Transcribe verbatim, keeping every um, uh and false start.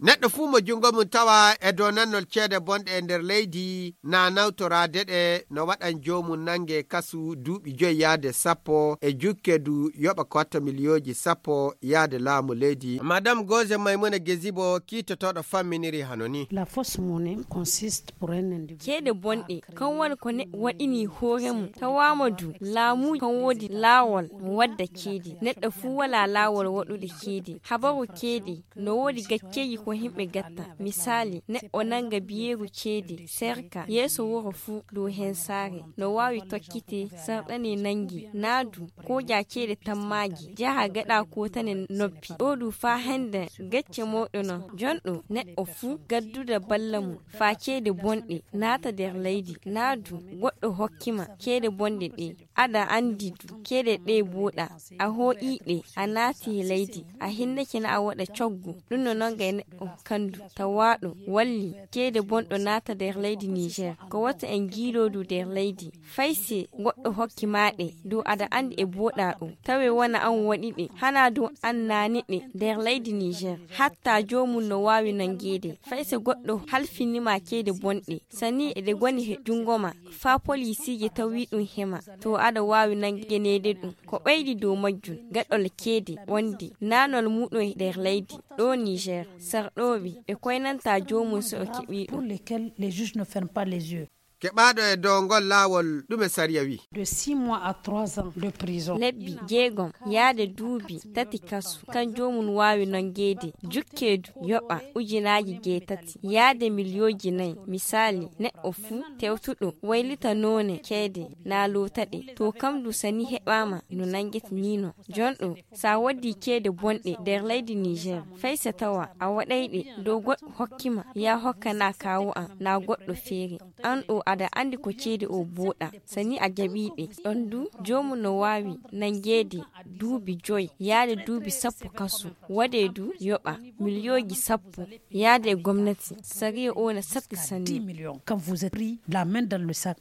Neɗɗo fuu mo junngo mum tawa e dow nannol ceede bonɗe e nder leydi, na nawtoraade ɗe, no waɗan joomum nannge kasu duuɓi joy yaade sappo e jukke du yoɓa ko watta miliyooji sappo yaade laamu leydi. Madame Goze Maymuna Gezibo kiitotooɗo famminiri hano ni. La fausse monnaie consiste pour un individu. Ceede bonɗe, kan woni ko neɗɗo waɗini hoore mum. Tawaama du, laamu kan woodi laawol mo wadda ceede. Neɗɗo fuu walaa laawol waɗude ceede. Habaru ceede, no woodi gacceeji ko himɓe gatta. Misaali, neɗɗo nannga biyeeru ceede, serka, yeeso wuro fuu dow heen saare. No waawi tokkite, sarɗani nanngi, naadu, kooja ceede tammaaji, jaha gaɗa kootane noppi. Ɗo du faa hannde gacce mawɗo non. Jonɗo neɗɗo fuu gaddude balla mum, faa ceede bonɗe naata nder leydi. Naadu, goɗɗo hokki ma ceede bonɗe ɗe. Aɗa anndi du, ceede ɗe booɗa. A hooƴii ɗe, a naati e leydi, a hinnake na a waɗa coggu. Ɗum no nonnga e neɗɗo kandu, tawaaɗo, walli, ceede bonɗo naata nder leydi Niger. Ko wata en njiiloo du nder leydi. Fay si goɗɗo hokki ma ɗe, du aɗa anndi e booɗa ɗum. Tawe wona an waɗi ɗe, hana du an naani ɗe nder leydi Niger. Hatta joomum no waawi nanngeede. Fay si goɗɗo halfini ma ceede bonɗe, sani eɗe ngoni he junngo ma, faa poliisiije tawi ɗum he ma, to aɗa waawi nanngeneede ɗum. Ko ɓeydi dow majjum, gaɗol ceede wonde naanol muɗum e nder leydi, ɗo Niger, sarɗooɓe, ɓe koynanta joomum so o keɓii ɗum. Pour lesquels les juges ne ferment pas les yeux. Keɓaaɗo e dow ngol laawol, ɗume sariya wi? De six mois à trois ans de prison. Lebbi jeegom yaade duuɓi tati kasu, kan joomum waawi nanngeede, jukkeedu yoɓa ujunaaji jeetati yaade miliyooji nayi. Misaali, neɗɗo fuu tewtuɗo waylita noone ceede na loota ɗe, to kam du sani heɓaama no nanngete nii non. Jonɗo, sa waddii ceede bonɗe nder leydi Niger, fay so tawa a waɗay ɗe dow goɗɗo hokki ma, ya hokkana kaawu am na goɗɗo feere. An ɗo aɗa anndi ko ceede o booɗa, sani a jaɓii ɗe. Ɗon du, joomum no waawi nanngeede duuɓi joy yaade duuɓi sappo kasu, waɗee du yoɓa miliyooji sappo yaade e gomnati. Sariya o na satti sanne. Dix millions. Quand vous êtes pris la main dans le sac.